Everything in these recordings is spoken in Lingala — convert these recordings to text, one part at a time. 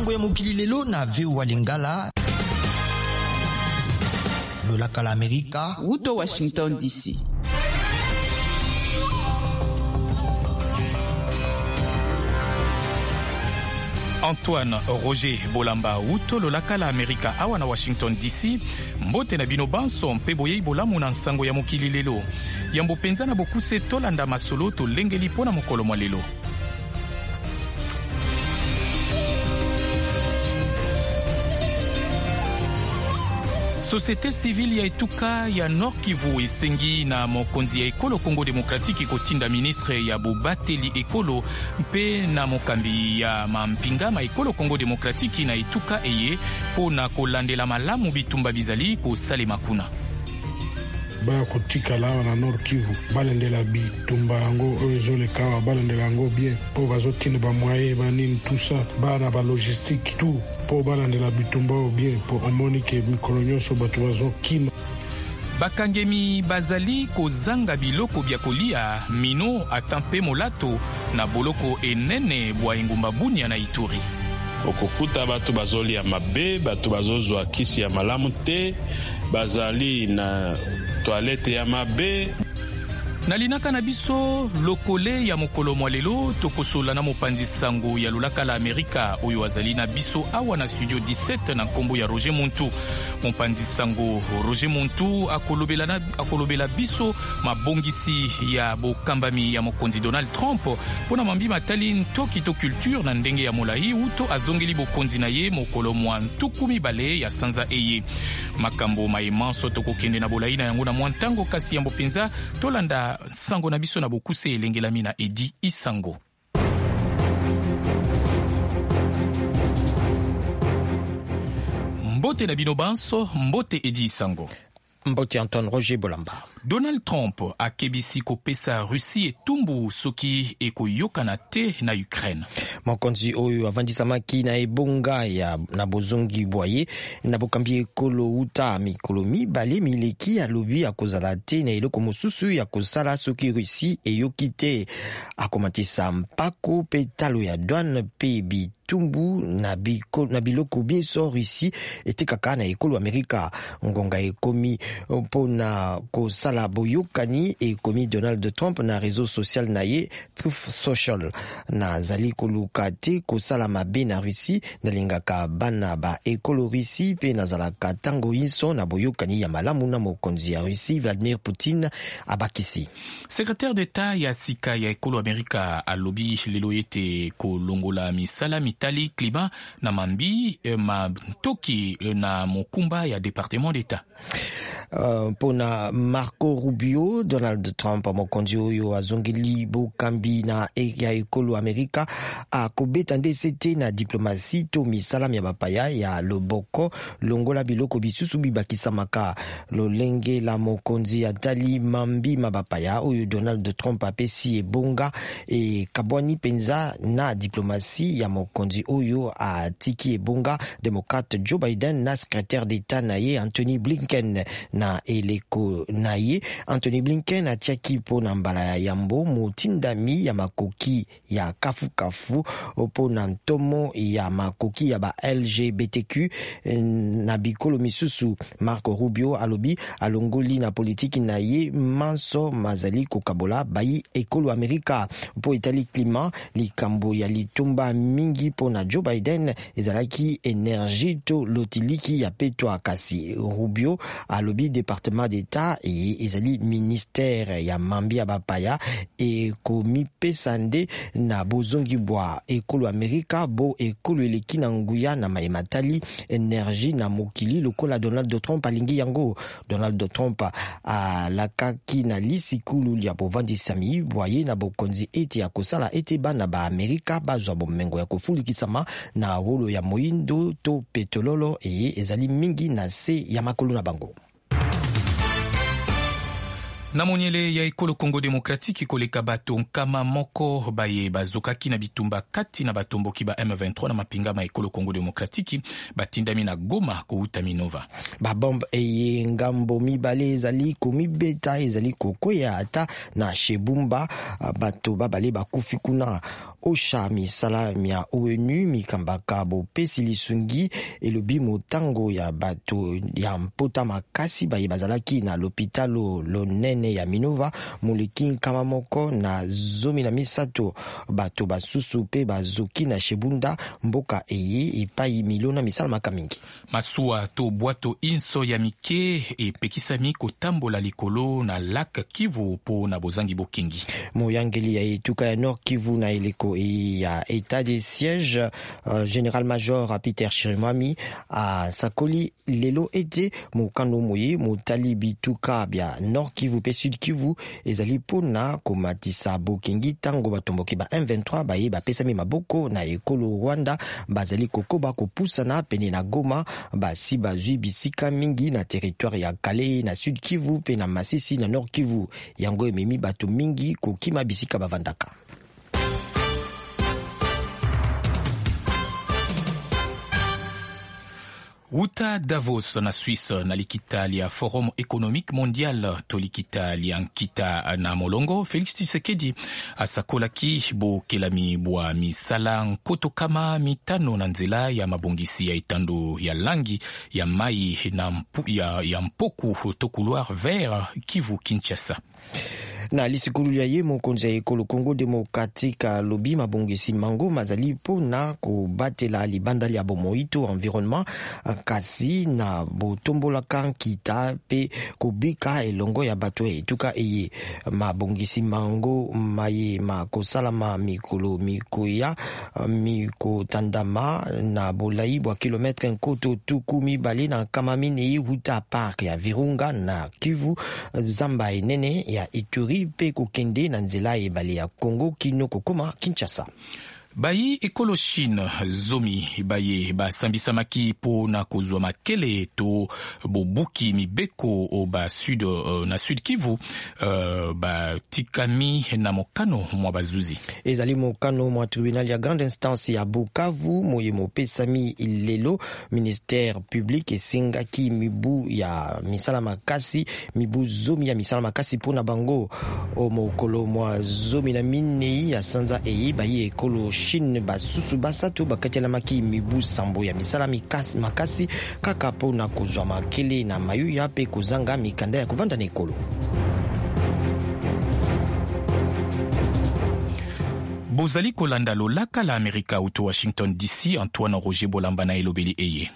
Sango ya mokili lelo na VOA Lingala. Lolaka la Amerika. Wuto Washington DC. Antoine Roger Bolamba wuto lolaka la Amerika awa na Washington DC. Mbote na bino banso mpe boyei bolamu na nsango ya mokili lelo. Yambo mpenza na bokuse tolanda masolo tolengeli mpo na mokolo mwa lelo. Société civile ya etuka ya Nord Kivu esengi na mokonzi ya ekolo Congo Demokratiki kotinda ministre ya bobateli ekolo mpe na mokambi ya mampinga ma ekolo Congo Demokratiki na etuka eye mpo na kolandela malamu bitumba bizali kosalema kuna. Baya kotikala awa na Nord Kivu, balandela bitumba yango oyo ezoleka awa, balandela yango bien mpo bazotinda bamoye banini tout ça, baya na balogistique tout mpo balandela bitumba oyo bien, mpo omoni ke mikolo nyonso bato bazokima. Bakangemi bazali kozanga biloko bya kolia, mino ata mpe molato na boloko enene bwa engumba Bunia na Ituri. Okokuta bato bazolia mabe, bato bazozwa kisi ya malamu te, bazali na toilette ya mabe. Na linaka na biso lokole ya mokolo mwa lelo, tokosola na mopanzi sango ya lolaka la Amerika oyo azali na biso awa na studio 17 na nkombo ya Roger Muntu. Mopanzi sango Roger Muntu akolobela, akolobela biso mabongisi ya bokambami ya mokonzi Donald Trump mpo na mambi matali ntoki to culture na ndenge ya molai uto azongeli bokonzi na ye mokolo mwa 20 ya sanza eye. Makambo maye manso tokokende na bolai na yango na mwa ntango, kasi yambo mpenza tolanda sango na biso na bokuse elengelami na Edi Isango. Mbote na bino banso, mbote Edi Isango. Mbote Antoine Roger Bolamba. Donald Trump akebisi kopesa Russie etumbu soki ekoyokana te na Ukraine. Mokonzi oyo avandisamaki na ebonga ya na bozongi bwa ye na bokambi ekolo uta mikolo mibale mileki alobi akozala te na eloko mosusu ya kosala soki Russie eyoki te. Akomatisa mpako mpe talo ya douane mpe bitumbu na, biko, na biloko binso Russie etekaka na ekolo Amerika. Ngonga ekomi mpona kosala boyokani, ekomi Donald Trump na réseau social na ye Truth Social. Nazali koluka te kosala mabe na Russie, nalingaka bana ba ekolo Russie mpe nazalaka ntango inso na boyokani ya malamu na mokonzi ya Russie Vladimir Poutine, abakisi. Secrétaire d'État ya sika ya ekolo Amerika alobi lelo ete kolongola misala mitali klima na mambi mantoki na mokumba ya département d'État. Mpona Marco Rubio, Donald Trump mokonzi oyo azongeli bokambi na ya ekolo Amerika akobeta nde sete na diplomatie to misala mya bapaya ya loboko longola biloko bisusu bibakisamaka. Lolenge la mokonzi atali mambi ma bapaya oyo Donald Trump apesi ebonga ekabwani mpenza na diplomatie ya mokonzi oyo atiki ebonga démocrate Joe Biden na secrétaire d'État na ye Anthony Blinken. Na eleko na ye Anthony Blinken atiaki mpo na mbala ya yambo motindami ya makoki ya kafukafu mpo na ntomo ya makoki ya ba LGBTQ na bikolo misusu. Marco Rubio alobi alongoli na politiki na ye manso mazali kokabola bayi ekolo Amerika. Mpo etali klima, likambo ya litumba mingi mpo na Joe Biden ezalaki energie to lotiliki ya petwa, kasi Rubio alobi département d'État eye ezali ministère ya mambi ya bapaya ekomipesa nde na bozongi bwa ekolo Amerika bo ekolo eleki na nguya na maye matali energie na mokili lokola Donald Trump alingi yango. Donald Trump alakaki na lisikulu lya bovandisami bwa ye na bokonzi ete akosala ete bana ba Amerika bazwa bomengo ya kofulikisama na wolo ya moindo to petololo eye ezali mingi na se ya makolo na bango. Na monyele ya ekolo Congo Demokratiki, koleka bato 100 baye bazokaki na bitumba kati na batomboki ba M23 na mapinga ma ekolo Congo Demokratiki batindami na Goma kouta Minova. Babombe eye ngambo mibale ezali komibeta ezali kokwea ata na Shebumba, bato babale bakufi kuna. OCHA, misala mya ONU mikambaka bopesi lisungi, elobi motango ya bato ya mpota makasi baye bazalaki na lopitalo lonene ya Minova moleki 113. Bato basusu mpe bazoki na Shebunda, mboka eye epai milona misalamaka mingi. Masuwa to bwato inso ya mike epekisami kotambola likolo na lac Kivu mpo na bozangi bokengi. Moyangeli ya etuka ya Nord Kivu na eleko ya état de siège, général major Peter Chirimwami, asakoli lelo ete mokano moye motali bituka bya Nord Kivu mpe Sud Kivu ezali mpona komatisa bokengi ntango batomboki ba M23 baye bapesami maboko na ekolo Rwanda bazali kokoba kopusana pene na Goma. Basi bazwi bisika mingi na territoire ya Kalehe na Sud Kivu mpe na Masisi na Nord Kivu. Yango ememi bato mingi kokima bisika bavandaka. Wuta Davos na Suisse, na likita lia Forum économique mondial to likita lia nkita na molongo, Félix Tshisekedi asakolaki bokelami bwa misala 5,000 na nzela ya mabongisi ya etando ya langi ya mai na ya mpoku to couloir vert Kivu Kinshasa. Na lisikulu ya ye, mokonzi ya ekolo Congo Démocratique alobi mabongisi mango mazali mpona kobatela libanda lya bomoi to environnement, kasi na botombolaka nkita mpe kobika elongo ya bato ya etuka eye. Mabongisi mango maye makosalama mikolo mikoya, mikotandama na bolai bwa kilometre 240 wuta parc ya Virunga na Kivu, zamba enene ya Ituri, mpe kokende na nzela ebale ya Congo kino kokoma Kinshasa. Bayi ekolo Chine 10 baye basambisamaki mpo na kozwa makele to bobuki mibeko ba sud, na Sud Kivu, batikami na mokano mwa bazuzi. Ezali mokano mwa tribunal ya grande instance ya Bukavu moye mopesami lelo. Ministère public esengaki mibu ya misala makasi, mibu 10 ya misala makasi mpona bango. O mokolo mwa 14 ya sanza eye, bayi ekolo Chine basusu basato bakatelamaki mibu 7 ya misala makasi kaka mpona kozwa makele na mayuya mpe kozanga mikanda ya kovanda na ekolo. Bozali kolanda lolaka la Amerika uto Washington DC. Antoine Roger Bolamba na elobeli eye.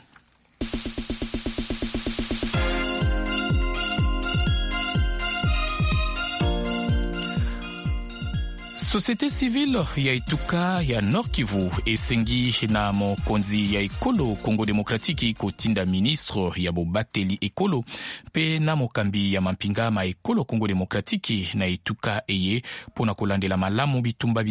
Société civile ya etuka ya Nord Kivu esengi na mokonzi ya ekolo Congo Démocratique kotinda ministre ya bobateli ekolo mpe na mokambi ya mampinga ma ekolo Congo Démocratique na etuka eye mpona kolandela malamu bitumba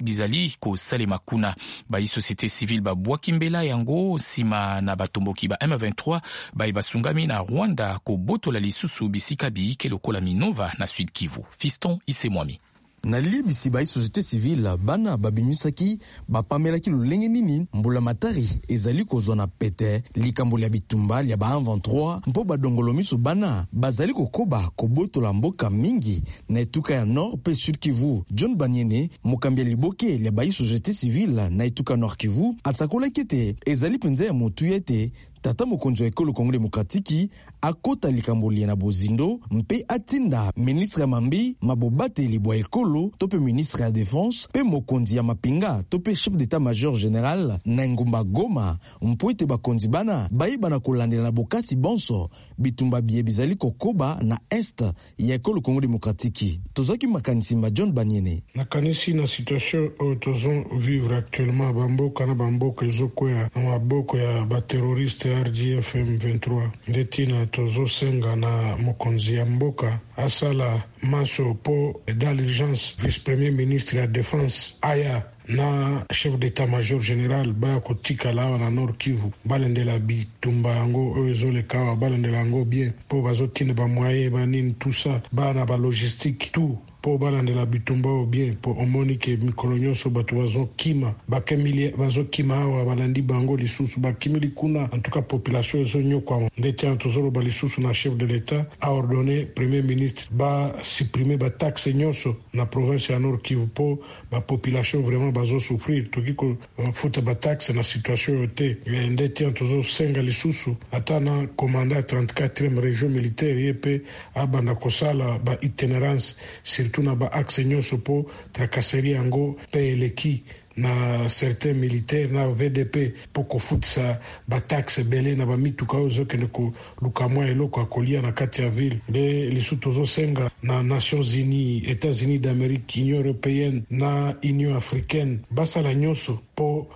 bizali kosalema kuna. Bayi société civile babwaki mbela yango nsima na batomboki ba M23 baye basungami na Rwanda kobotola lisusu bisika biyike lokola Minova na Sud Kivu. Fiston Isemwami. Na liyebisi, bayi société civile bana babimisaki bapamelaki lolenge nini mbula matari ezali kozwa na pete likambo lya bitumba lya ba M23, mpo badongolo miso bana bazali kokoba kobotola mboka mingi na etuka ya Nord mpe Sud Kivu. John Baniene, mokambi ya liboke lya bayi société civile na etuka Nord Kivu, asakolaki ete ezali mpenza ya motuya ete tata mokonzi wa ekolo Kongo Demokratiki akota likambo lie na bozindo mpe atinda ministre ya mambi mabobateli bwa ekolo to mpe ministre ya défense mpe mokonzi ya mapinga to mpe chef d'état major général na engumba Goma, mpo ete bakonzi bana bayeba kolandela na bokasi bonso bitumba biye bizali kokoba na est ya ekolo Kongo Demokratiki. Tozwaki makanisi ma John Baniene. Nakanisi na situation oyo tozovivre actuellement, bamboka na bamboka ezokwea na maboko ya baterroriste RDF M23. Nde ntina tozosenga na mokonzi ya mboka asala maso mpo dans l'urgence vice premier ministre ya défense aya na chef d'état major général baya kotikala awa na Nord Kivu, balandela bitumba yango oyo ezoleka awa, balandela yango bien mpo bazotinda bamoyen, banini, tout ça, baya na balogistique, tout. mpo balandela bitumba oyo bien, mpo omoni ke mikolo nyonso bato bazokima, bazokima awa, balandi bango lisusu, bakimeli kuna. En tout cas population ezonyokwama. Nde wana tozoloba lisusu na chef de l'État aordonner premier ministre basupprimer bataxe nyonso na province ya Nord Kivu, mpo bapopulation vraiment bazosouffrir. Toki kofuta bataxe na situation oyo te. Nde tina tozosenga lisusu ata na commandant 34e région militaire, ye mpe abanda kosala baitinérance, surtout na baaxe nyonso, mpo tracasserie yango mpe eleki na certains militaires na VDP, mpo kofutisa bataxe ebele na bamituka oyo ezokende koluka mwa eloko ya kolia na kati ya ville. Nde lisusu tozosenga na Nations Unies, États-Unis d'Amérique, Union européenne na Union africaine basala nyonso mpo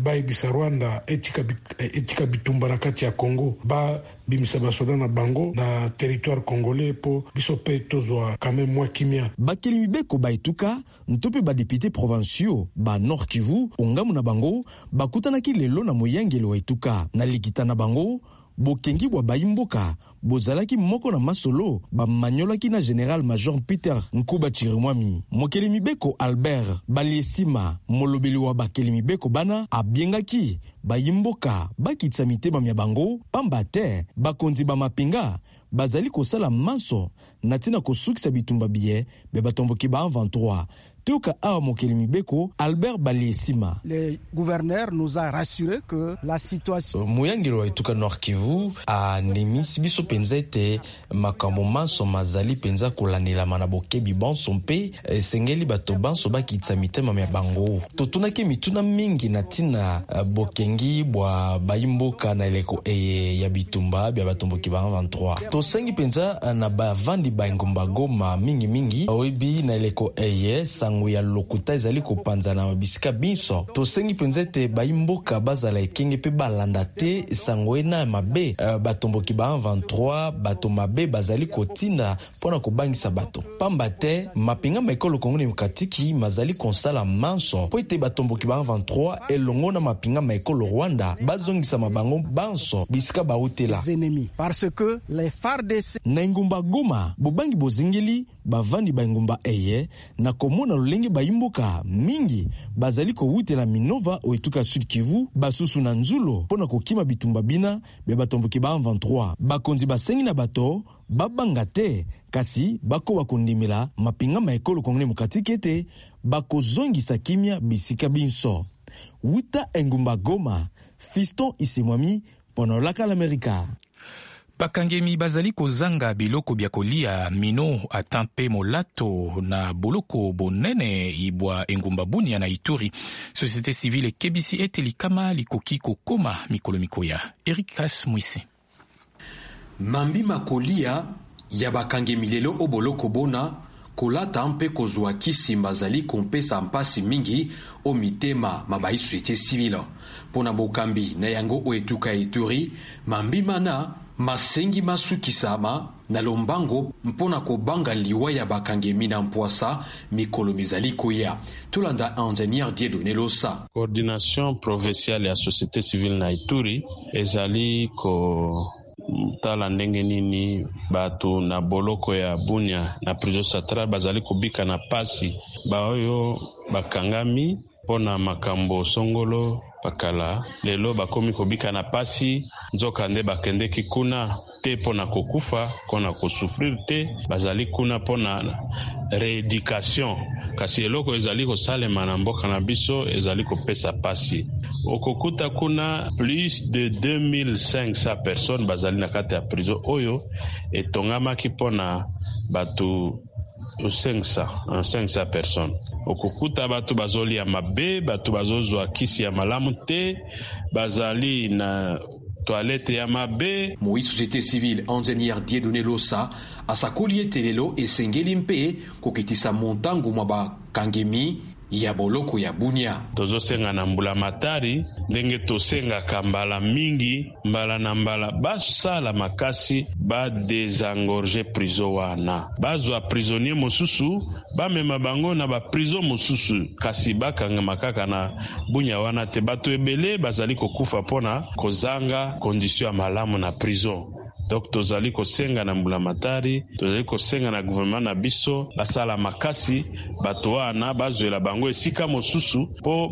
bayebisa Rwanda etika bitumba na kati ya Congo, babimisa basoda na bango na territoire congolais, mpo biso mpe tozwa quand même mwa kimia. Bakeli mibeko baetuka nto mpe badéputés provinciaux ba Nord Kivu, ongambo na bango, bakutanaki lelo na moyangeli wa etuka. Na likita na bango, bokengi bwa bayimboka bozalaki moko na masolo bamanyolaki na général major Peter Nkuba Chirimwami. Mokeli mibeko Albert Baliesima, molobeli wa bakeli mibeko bana, abiengaki bayimboka bakitisa mitema mya bango, pamba te bakonzi ba mapinga bazali kosala manso na ntina kosukisa bitumba biye bya batomboki ba M23. Toyoka awa mokeli mibeko Albert Baliesima. Le gouverneur nous a rassuré que la situation Moyangeli wa etuka Nord Kivu andimisi biso mpenza ete makambo manso mazali mpenza kolandelama na bokebi bonso, mpe esengeli bato banso bakitisa mitema mya bango. Totunaki mituna mingi na ntina bokengi bwa bayimboka na eleko eye ya bitumba bya batomboki ba 23. Tosengi mpenza na bavandi ba engumba Goma mingimingi, oyebi, na eleko eye sango ya lokuta ezali kopanzana na bisika binso, tosengi mpenza ete bayimboka bazala ekenge mpe balanda te sango ena ya mabe batomboki ba 23, bato mabe bazali kotinda mpo na kobangisa bato, pamba te mapinga ma ekolo Kongo Demokratiki mazali kosala manso mpo ete batomboki ba 23 elongo na mapinga ma ekolo Rwanda bazongisama bango banso bisika bautela. Ennemis, parce que les FARDC Na engumba Goma, bobangi bozingeli bavandi ba engumba eye na komona lolenge bayimboka mingi bazali kowutela Minova o etuka Sud Kivu, basusu na Nzulo, mpo na kokima bitumba bina bya batomboki ba 23. Bakonzi basengi na bato babanga te, kasi bakoba kondimela mapinga ma ekolo Kongo Demokratike ete bakozongisa kimia bisika binso. Wuta engumba Goma, Fiston Isemwami mpo na Olaka l'Amerika. Bakangemi bazali kozanga biloko bya kolia, mino, ata mpe molato na boloko bonene ibwa engumba Bunia na Ituri. Société civile ekebisi ete likama likoki kokoma mikolo mikoya. Eric Kas Mwisi. Mambi makolia ya bakangemi lelo o boloko bona, kolata mpe kozwa kisi, bazali kopesa mpasi mingi o mitema ma bai société civile. Mpo na bokambi na yango o etuka Ituri, mambi mana masengi masukisama na lombango mpo na kobanga liwa ya bakangemi na mpwasa mikolo mizali koya. Tolanda ingénieur Dieudonné Losa. Coordination provinciale ya société civile na Ituri ezali kotala ndenge nini bato na boloko ya Bunia, na prison centrale, bazali kobika na pasi. Baoyo bakangami mpo na makambo songolo pakala, lelo bakomi kobika na pasi, nzoka nde bakendeki kuna te mpo na kokufa, mpo na kosouffrir te. Bazali kuna mpo na rééducation, kasi eloko ezali kosalema na mboka na biso ezali kopesa pasi. Okokuta kuna plus de 2500 personnes bazali na kati ya prison oyo etongamaki mpo na bato 500, 500 personnes. Okokuta bato bazolia mabe, bato bazozwa kisi ya malamu te, bazali na toilette ya mabe. Moi société civile ingénieur Dieudonné Losa asakoli ete lelo esengeli mpe kokitisa montango mwa bakangemi ya boloko ya Bunia. Tozosenga na mbula matari, ndenge tosengaka mbala mingi, mbala na mbala, basala makasi badésengorger prison wana, bazwa prisonnier mosusu, bamema bango na baprison mosusu, kasi bakangama kaka na Bunia wana te. Bato ebele bazali kokufa mpona kozanga condition ya malamu na prison. Donc tozali kosenga na mbulamatari, tozali kosenga na gouvernement na biso basala makasi, bato wana bazwela bango esika mosusu mpo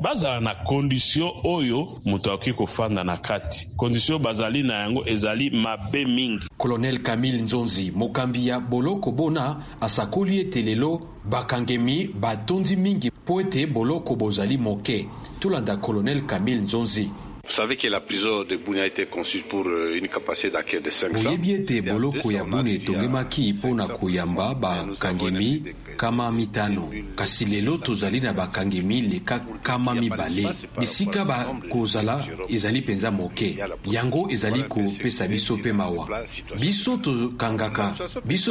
bazala na condition oyo moto akoki kofanda na kati. Condition bazali na yango ezali mabe mingi. Colonel Camille Nzonzi, mokambi ya boloko bona, asakoli ete lelo bakangemi batondi mingi mpo ete boloko bozali moke. Tolanda Colonel Camille Nzonzi. Vous savez que la prison de Bunia a été conçue pour une capacité d'accueil de 500. Boyebi ete boloko ya Bunia etongemaki mpo na koyamba bakangemi 500, kasi lelo tozali na bakangemi leka 200. Bisika bakozala ezali mpenza moke, yango ezali kopesa biso mpe mawa. Biso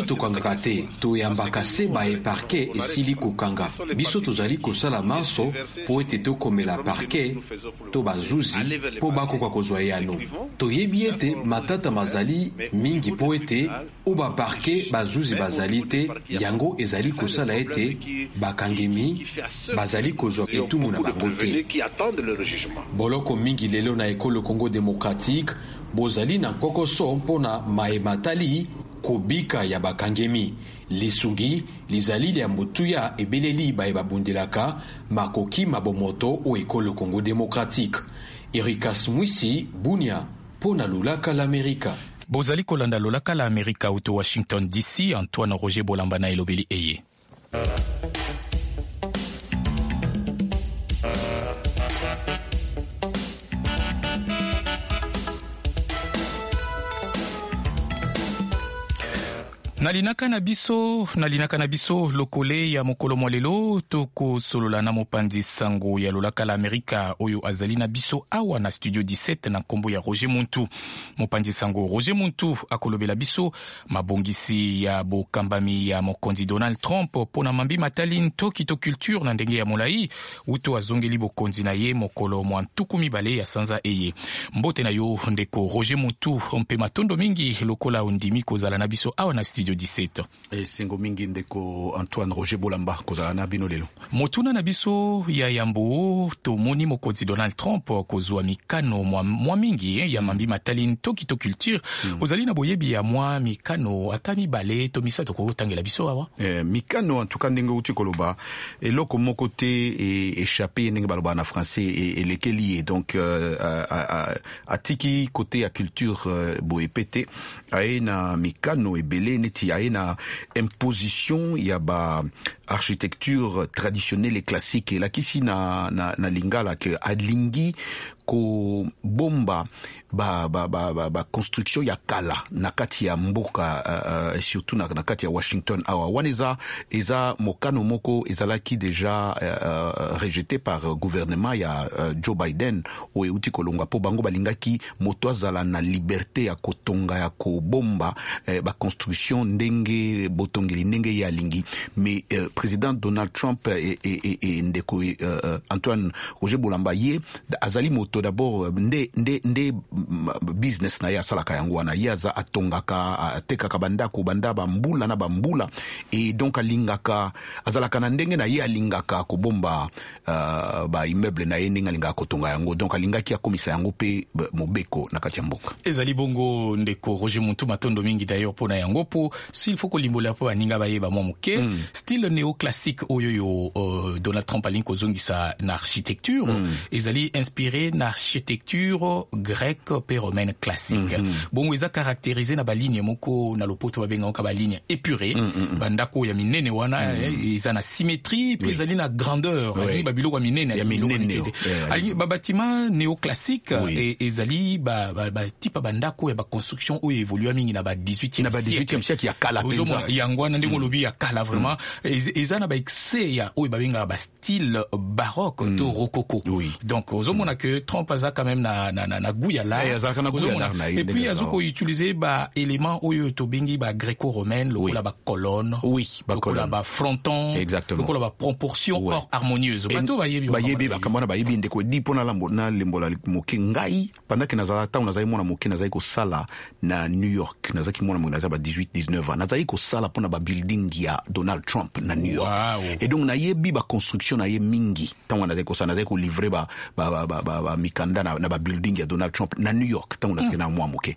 tokangaka te, toyambaka se baye parquet esili kokanga. Biso tozali kosala manso mpo ete tokomela parquet to bazuzi mpo bakoka kozwa eyano. Toyebi ete matata mazali mingi mpo ete o baparke bazuzi bazali te, yango ezali kosala ete bakangemi bazali kozwa etumbu na bango te. Boloko mingi lelo na ekolo Congo démocratique bozali na nkokoso mpona maye matali kobika ya bakangemi. Lisungi lizali lya motuya ebeleli baye babundelaka makoki mabomoto o ekolo Congo démocratique. Erikas Mwisi, Bunia, mpo na Lolaka l'Amerika. Bozali kolanda Lolaka la Amerika uto Washington DC. Antoine Roger Bolamba na elobeli eye. Nalinaka na biso lokole ya mokolo mwa lelo, tokosolola na mopanzi sango ya Lolaka la Amerika oyo azali na biso awa na studio 17 na nkombo ya Roger Muntu. Mopanzi sango Roger Muntu akolobela biso mabongisi ya bokambami ya mokonzi Donald Trump mpona mambi matali ntoki to culture na ndenge ya molai uto azongeli bokonzi na ye mokolo mwa 20 ya sanza eye. Mbote na yo ndeko Roger Muntu, mpe matondo mingi lokola ondimi kozala na biso awa na studio 17. Esengo mingi ndeko Antoine Roger Bolamba kozala na bino lelo. Motuna na biso ya yambo, tomoni mokonzi Donald Trump kozwa mikano mwa mingi ya mambi matali ntoki to culture. Ozali na boyebi ya mwa mikano ata 2 to 3 kotangela biso awa? Mikano en tout cas ndenge uti koloba eloko moko te échappé ndenge baloba na français elekeli ye. Donc atiki côté ya culture boye pete aye na mikano ebele neti aye na imposition ya ba architecture traditionnelle et classique elakisi na lingala ke alingi kobomba ba construction ya kala na kati ya mboka, surtout na kati ya Washington awa. Wana eza mokano moko ezalaki déjà rejeté par gouvernement ya Joe Biden oyo euti kolongwa, po bango balingaki moto azala na liberté ya kotonga ya kobomba ba construction ndenge botongeli ndenge ye alingi. Mais président Donald Trump et ndeko Antoine Roger Bolamba ye azali moto d'abord nde business na ye asalaka yango wana. Ye aza atongaka, atekaka bandako banda bambula na bambula, et donc alingaka azalaka na ndenge na ye alingaka kobomba ba immeuble na ye ndenge alingaka kotonga yango. Donc alingaki akomisa yango pe mobeko na kati ya mboka. Ezali bongo ndeko Roger Muntu, matondo mingi d'ailleurs mpona yango, po s'il faut kolimbola po baninga bayeba mwa moke style néoclassique oyo yo Donald Trump alingi kozongisa na architecture, ezali inspiré na architecture grecque pe romaine classique. Bongo eza caractérisé na baligne moko na lopoto babengaka baligne épurée, bandako ya minene wana eza na symétrie pe ezali na grandeur, alingi babiloko ya minene, alingi ba bâtiment néoclassique ezali ba type bandako ya ba construction oyo évolue mingi na ba 18e siècle ya kala penza. Yango wana ndenge olobi ya kala vraiment eza na ba excès ya oyo babengaka ba style baroque to rococo. Donc ozomona que Trump aza quand même na goût ya l'art, et puis azo ko utiliser ba élément oyo tobengi ba gréco-romaine, lokola ba colonne, lokola ba fronton, lokola ba proportion or harmonieuse. Bato bayebi bakambo na bayebi ndeko di pona na lembola moke ngai pendant que nazala ntango nazali mwana moke, nazali kosala na New York, nazalaki mwana moke, nazali ba 18 19 ans, nazali kosala mpona ba building ya Donald Trump na New York. Et donc nayebi ba construction na ye mingi. Ntango nazali kosala, nazali kolivre ba mikanda na ba building ya Donald Trump. Na New York ntango nazalaki na mwa moke.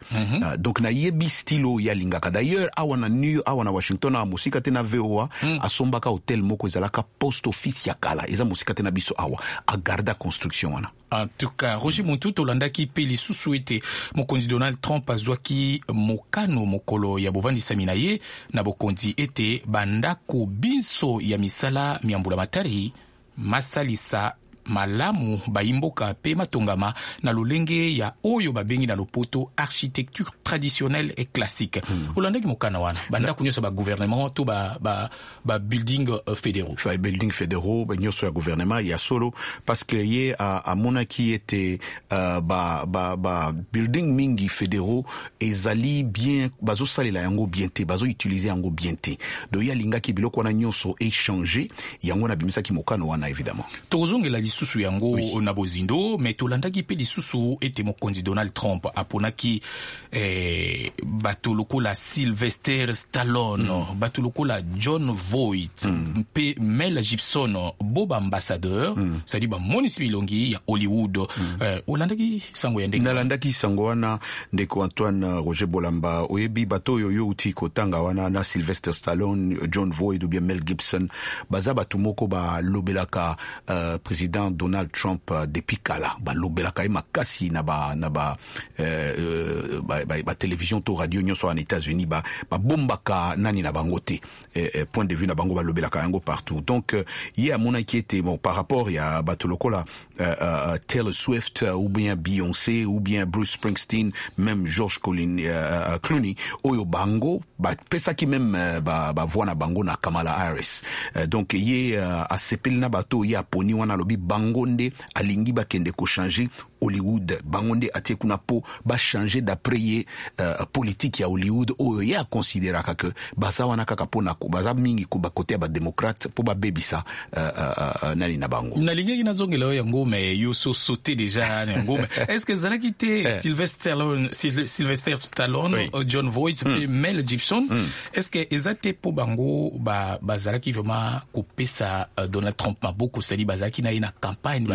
Donc nayebi style oyo ye alingaka. D'ailleurs, awa na New awa na Washington, awa mosika te na VOA, asombaka hotel moko ezalaka post office ya kala, eza mosika te na biso awa, agarda construction wana. En tout cas, Roger Muntu, tolandaki mpe lisusu ete mokonzi Donald Trump azwaki mokano mokolo ya bovandisami na ye na bokonzi ete bandako binso ya misala mya mbulamatari masalisa malamu bayimboka mpe matongama na lolenge ya oyo babengi na lopoto architecture traditionnelle et classique. Olandaki mokano wana, bandako nyonso ya bagouvernement to ba building fédéraux? Ba building fédéraux nyonso ya gouvernement, ya solo, parce que ye amonaki ete ba building mingi fédéraux ezali bien, bazosalela yango bien te, bazoutilize yango bien te. Donc ye alingaki biloko wana nyonso échange yango wana, abimisaki mokano wana, évidemment. Tokozongela lisusu yango na bozindo, me tolandaki mpe lisusu ete mokonzi Donald Trump aponaki bato lokola Sylvester Stallone, bato lokola John Voight mpe Mel Gibson bo baambassadeur, c'est-à-dire bamonisi bilongi ya Hollywood. Olandaki sango ya ndenge? Nalandaki sango wana, ndeko Antoine Roger Bolamba. Oyebi, bato oyo yo uti kotanga wana, na Sylvester Stallone, John Voight ou bien Mel Gibson, baza bato moko balobelaka président Donald Trump depuis kala. Balobelaka ye makasi na ba télévision to radio nyonso wana États-Unis. Babombaka nani na bango te, point de vue na bango, balobelaka yango partout. Donc ye amonaki ete, bon, par rapport ya bato lokola Taylor Swift ou bien Beyoncé ou bien Bruce Springsteen, même George Clooney, oyo bango bapesaki même bavoix na bango na Kamala Harris. Donc ye asepeli na bato ye aponi wana. Alobi bango nde alingi bakende kochanger Hollywood, bango nde atie kuna mpo bachange, d'après ye, politique ya Hollywood oyo ye akonsideraka ke baza wana kaka mpona baza mingi bakote ya badémocrate mpo babebisa nani na bango. Nalingaki nazongela oyo yango, mais yo so sauté déjà na yango. Mais est ce que ezalaki te Sylvester Stallone, John Voight mpe Mel Gibson, est ce que eza te mpo bango bazalaki vraiment kopesa Donald Trump maboko, c'est-à-dire bazalaki na ye na campagne,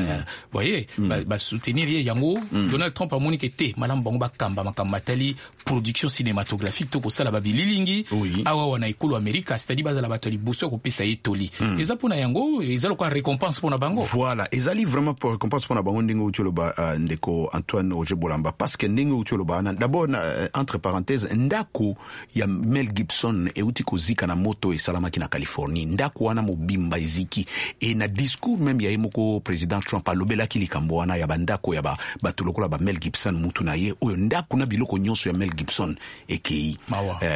voyez, basoutenir ye yango, Donald Trump amoni ke te, malamu bango bakamba makambo matali production cinématographique to kosala babililingi awa wana ekolo Amerika, c'est-à-dire bazala bato ya liboso ya kopesa ye toli? Eza mpona yango, eza lokola récompense mpona bango. Voilà, ezali vraiment pour récompense mpona bango, ndenge outi oloba, ndeko Antoine Roger Bolamba, parce que ndenge outi oloba wana, d'abord, entre parenthèse, ndako ya Mel Gibson euti kozika na moto esalamaki na Californie. Ndako wana mobimba eziki. E na discours même ya ye moko président Trump, alobelaki likambo wana ya bandako ya bato lokola ba Mel Gibson, mutu na ye oyo ndako na biloko nyonso ya Mel Gibson ekei.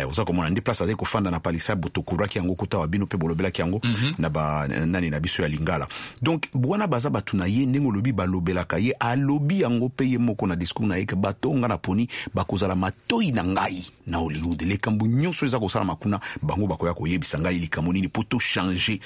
Oza komona nde place azali kofanda na Palisade, tokuraki yango kuta wa bino mpe bolobelaki yango na ba nani na biso ya Lingala. Donc wana baza bato na ye, ndenge olobi, balobelaka ye. Alobi yango mpe ye moko na discours na ye ke bato nga na poni bakozala matoi na ngai na Hollywood. Likambo nyonso eza kosalama kuna, bango bakoya koyebisa ngai likambo nini mpo tochange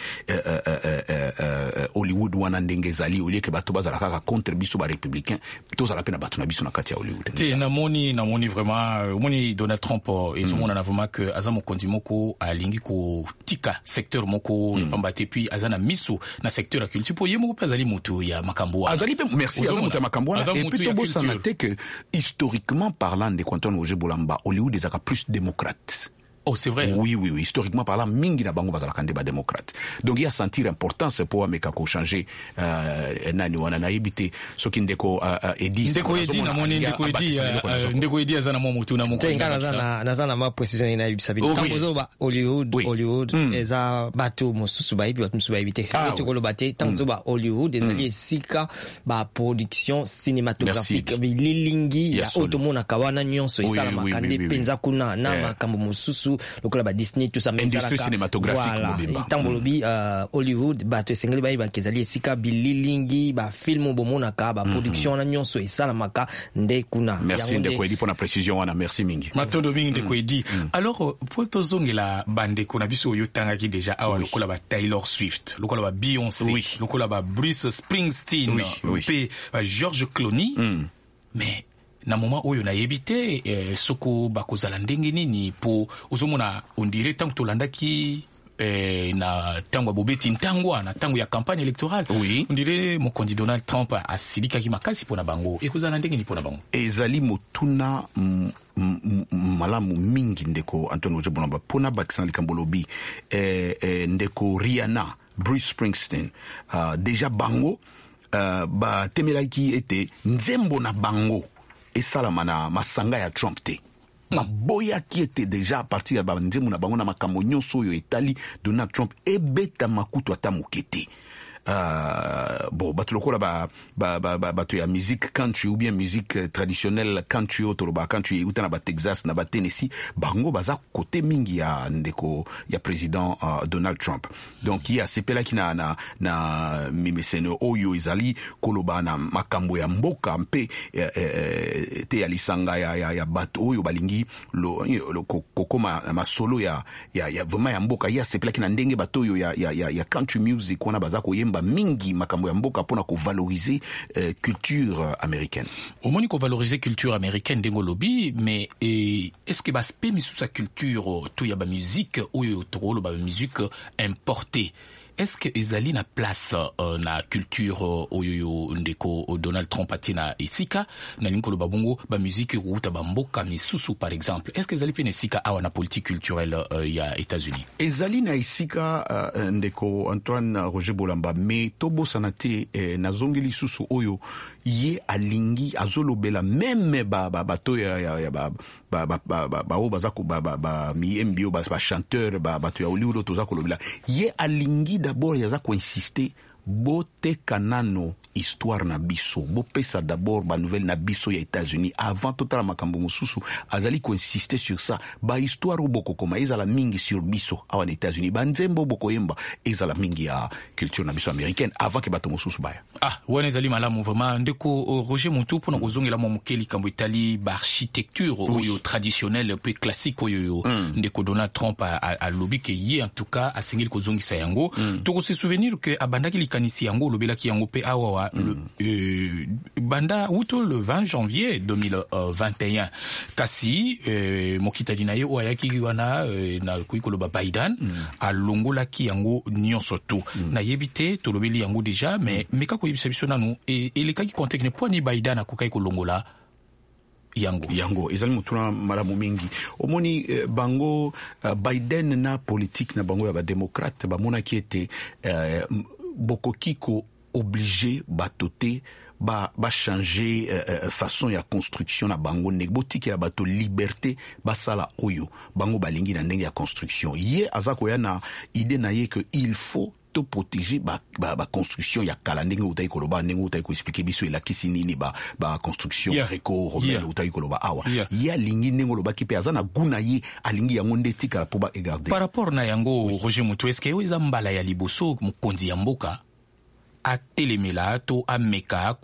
Hollywood wana ndenge ezali, au lieu ke bato bazala kaka contre biso barépublicain, tozala mpe na bato na biso na kati ya Hollywood. Te, namoni vraiment, omoni Donald Trump, ezomonana vraiment ke aza mokonzi moko alingi kotika secteur moko pamba te, puis aza na miso na secteur ya culture, mpo ye moko mpe azali motu ya makambo wana. Azali mpe, merci, aza moto ya makambo wana. Et puis tobosana te ke historiquement parlant, ndeko Antoine Roger Bolamba, Hollywood ezalaka plus démocrate. Oh, c'est vrai. Oui. Historiquement parlant, mingi na bango bazalaka nde badémocrate. Donc ye asentir importance po ameka kochanger nani wana. Nayebi te soki ndeko Edi. Ndeko Edi, namoni ndeko Edi, ndeko Edi aza na mwa motu na moko. Te, nga naza na mwa précision nayebisa bino. Ntango ozoba Hollywood, Hollywood eza bato mosusu bayebi, bato mosusu bayebi te. Koloba te, ntango ozoba Hollywood, ezali esika baproduction cinématographique, bililingi ya oyo tomonaka wana nyonso esalamaka nde mpenza kuna, na makambo mosusu lokola ba Disney, tout ça. Industrie cinématographique mobimba. Ntango bolobi Hollywood, bato esengeli bayebaka ezali esika bililingi, bafilm bomonaka, baproduction wana nyonso esalamaka nde kuna. Merci, ndeko Edi, mpona précision wana, merci mingi. Matondo mingi, ndeko Edi. Alors, po tozongela bandeko na biso oyo otangaki déjà awa, lokola ba Taylor Swift, lokola ba Beyoncé, lokola ba Bruce Springsteen mpe ba George Clooney, mais na moment oyo nayebi te soko bakozala ndenge nini, po ozomona on dirait ntango tolandaki na ntango ya bobeti ntangwa, na ntango ya campagne électorale, on dirait mokonzi Donald Trump asilikaki makasi mpo na bango. Ekozala ndenge nini mpo na bango? Ezali motuna malamu mingi, ndeko Antoine Roger Bolamba. Mpona bakisa na likambo lobi, ndeko Rihanna, Bruce Springsteen, déjà bango batemelaki ete nzembo na bango esalama na masanga ya Trump te. Baboyaki ete déjà à partir ya banzembo na bango na makambo nyonso oyo etali Donald Trump ebetama kutu ata moke te. Bon, bato lokola bato ya musique country ou bien musique traditionnelle country, oyo tolobaka country euta na Batexas, na Batennessee, bango baza kote mingi ya ndeko ya président Donald Trump. Donc ye asepelaki na mimeseno oyo ezali koloba na makambo ya mboka mpe te ya lisanga ya bato oyo balingi kokoma masolo ya vraiment ya mboka. Ye asepelaki na ndenge bato oyo ya country music wana baza koyemba mingi makambo ya mboka mpona kovaloriser culture américaine. Omoni, kovaloriser culture américaine ndenge olobi, mais est ce que baaspect misusu ya culture to ya bamusique oyo tokoloba bamusique importée, est ce que ezali na place na culture oyo yo ndeko Donald Trump atie na esika? Nalingi koloba bongo bamusique ekouta bamboka misusu par exemple, est ce que ezali mpe na esika awa na politique culturelle ya États-Unis? Ezali na esika, ndeko Antoine Roger Bolamba, mais tobosana te, nazongi lisusu oyo ye alingi azolobela même bato ya baoyo baza bamiyembi, oyo bachanteur, bato ya Hollywood oyo toza kolobela. Ye alingi d'abord, aza koinsiste: boteka nano histoire na biso, bopesa d'abord banouvelle na biso ya États-Unis avant totala makambo mosusu. Azali koinsiste sur ça: bahistoire oyo bokokoma ezala mingi sur biso awa na États-Unis, banzembo oyo bokoyemba ezala mingi ya culture na biso américaine avant ke bato mosusu baya. Ah, wana ezali malamu vraiment, ndeko Roger Muntu. Mpona kozongela mwa moke likambo etali baarchitecture oyo traditionnelle mpe classique oyo ndeko Donald Trump alobi ke ye en tout cas asengeli kozongisa yango, tokose souvenir ke abandaki likanisi yango, olobelaki yango mpe awawa, banda wuto le 20 janvier 2021. Kasi mokitani na ye oyo ayaki wana, nakoki koloba Biden, alongolaki yango nyonso tu. Nayebi te, tolobeli yango déjà, mais meka koyebisa biso nanu elekaki contexte mpo ani Biden akokaki kolongola yango. Yango ezali motuna malamu mingi. Omoni, bango Biden na politique na bango ya badémocrate bamonaki ete bokoki ko-oblige bato te bachanger façon ya construction na bango. Ndenge botikela bato liberté basala oyo bango balingi na ndenge ya construction. Ye aza koya na idée na ye que il faut to protéger ba construction ya kala, ndenge outaki koloba, ndenge outaki koexpliquer biso elakisi nini ba construction gréco-romaine outaki koloba awa. Ye alingi, ndenge olobaki mpe, aza na gu na ye, alingi yango nde etikala mpo baegarde. Par rapport na yango, Roger Mutu, est-ce oyo eza mbala ya liboso mokonzi ya mboka atelemela to ameka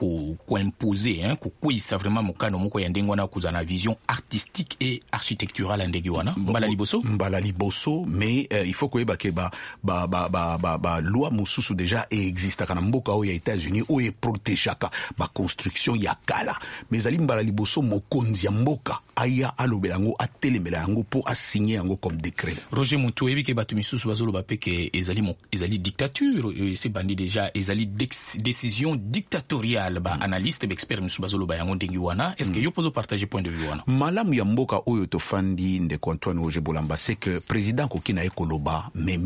koimpose, hein, kokweyisa vraiment mokano moko ya ndenge wana, kozala na vision artistique et architecturale ya ndenge wana, mbala liboso? Mbala liboso, mais il faut koyeba ke ba loi mosusu déjà eexistaka na mboka oyo ya États-Unis oyo eprotégeaka baconstruction ya kala. Mais ezali mbala liboso mokonzi ya mboka aya alobela yango, atelemela yango mpo asigne yango comme décret. Roger Mutu, oyebi ke bato misusu bazoloba mpe ke ezali dictature, esi bandi déjà, ezali décision dictatoriale. Baanalyste, baexpert misusu bazoloba yango ndenge wana. Est ce que yo mpo ozopartage point de vue wana? Malamu ya mboka oyo tofandi, ndeko Antoine Roger Bolamba, c'est que président akoki na ye koloba, mais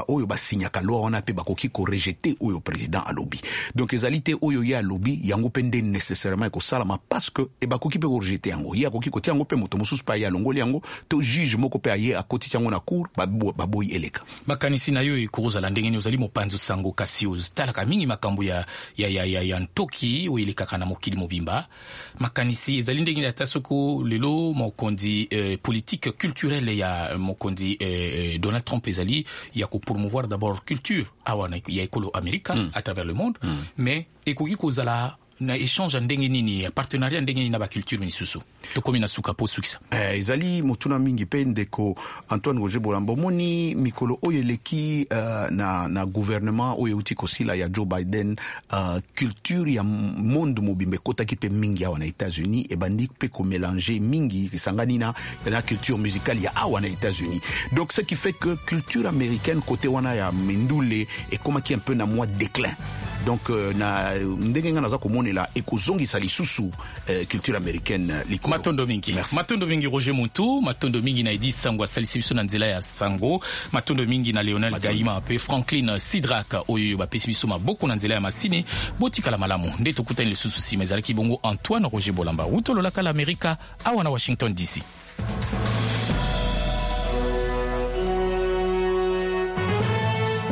oyo basignaka loi wana mpe bakoki korejeter oyo président alobi. Donc ezali te oyo ye alobi yango mpe nde nécessairement ekosalama, parce que e bakoki mpe korejeter yango. Ye akoki kotia yango mpe moto mosusu mpe aye alongoli yango, to juge moko mpe aye akotisi yango na cour, baboyi eleka. Makanisi na yo ekozala ndenge nini? Ozali mopanzi sango, kasi otalaka mingi makambo ya ntoki oyo elekaka na mokili mobimba. Makanisi ezali ndenge nini, ata soko lelo mokonzi, politique culturelle ya mokonzi Donald Trump ezali ya kopromouvoir d'abord culture awa ya ekolo Amerika à travers le monde, mais ekoki kozala Na échange ya ndenge nini, ya partenariat ya ndenge nini na baculture misusu? Tokomi na suka po sukisa. Ezali motuna mingi mpe, ndeko Antoine Roger Bolamba. Omoni, mikolo oyo eleki, na gouvernement oyo euti kosila ya Joe Biden, culture ya monde mobimba ekotaki mpe mingi awa na États-Unis, ebandi mpe komélanger mingi, esangani na culture musicale ya awa na États-Unis. Donc ce qui fait que culture américaine, côté wana ya mindule, ekomaki un peu na mwa déclin. Donc na ndenge nga naza komonela, ekozongisa lisusu culture américaine likolo. Matondo mingi. Merci. Matondo mingi, Roger Muntu. Matondo mingi na Edi Sango, asalisi biso na nzela ya sango. Matondo mingi na Léonel Gaima mpe Franklin Sidrak oyo bapesi biso maboko na nzela ya masini. Botikala malamu nde tokutani lisusu nsima. Ezalaki bongo Antoine Roger Bolamba, wuta lolaka la Amerika, awa na Washington DC.